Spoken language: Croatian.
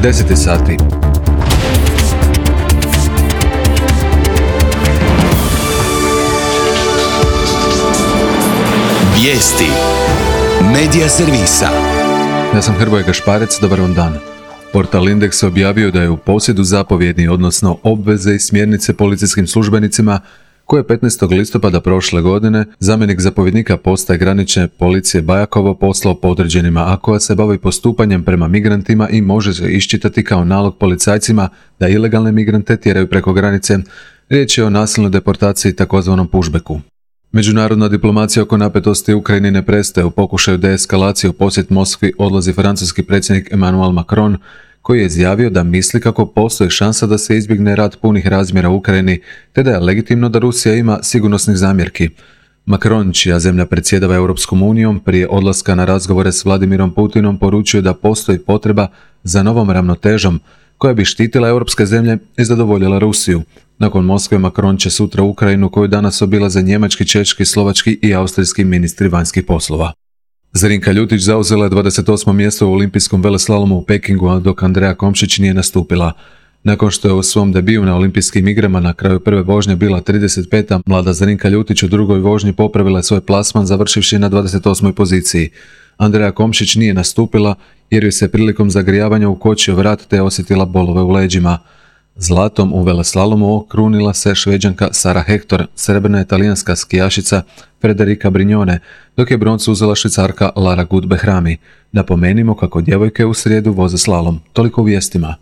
10 sati. Vijesti Medija servisa. Ja sam Hrvoje Gašparec, dobar vam dan. Portal Indeks objavio da je u posjedu zapovjedni, odnosno obveze i smjernice policijskim službenicima koje je 15. listopada prošle godine zamjenik zapovjednika postaje granične policije Bajakovo poslao podređenima, a koja se bavi postupanjem prema migrantima i može se iščitati kao nalog policajcima da ilegalne migrante tjeraju preko granice. Riječ je o nasilnoj deportaciji, takozvanom pushbacku. Međunarodna diplomacija oko napetosti u Ukrajini ne prestaje. U pokušaju deeskalacije u posjet Moskvi odlazi francuski predsjednik Emmanuel Macron, koji je izjavio da misli kako postoji šansa da se izbjegne rat punih razmjera u Ukrajini, te da je legitimno da Rusija ima sigurnosnih zamjerki. Macron, čija zemlja predsjedava Europskom unijom, prije odlaska na razgovore s Vladimirom Putinom poručio da postoji potreba za novom ravnotežom koja bi štitila europske zemlje i zadovoljila Rusiju. Nakon Moskve, Macron će sutra Ukrajinu, koju danas obilaze njemački, češki, slovački i austrijski ministri vanjskih poslova. Zrinka Ljutić zauzela je 28. mjesto u olimpijskom veleslalomu u Pekingu, dok Andreja Komšić nije nastupila. Nakon što je u svom debiju na olimpijskim igrama na kraju prve vožnje bila 35. mlada Zrinka Ljutić u drugoj vožnji popravila je svoj plasman završivši na 28. poziciji. Andreja Komšić nije nastupila jer joj se prilikom zagrijavanja ukočio vrat te osjetila bolove u leđima. Zlatom u veleslalomu okrunila se Šveđanka Sara Hector, srebrna je talijanska skijašica Federica Brignone, dok je broncu uzela Švicarka Lara Gut Behrami. Napomenimo kako djevojke u srijedu voze slalom. Toliko u vijestima.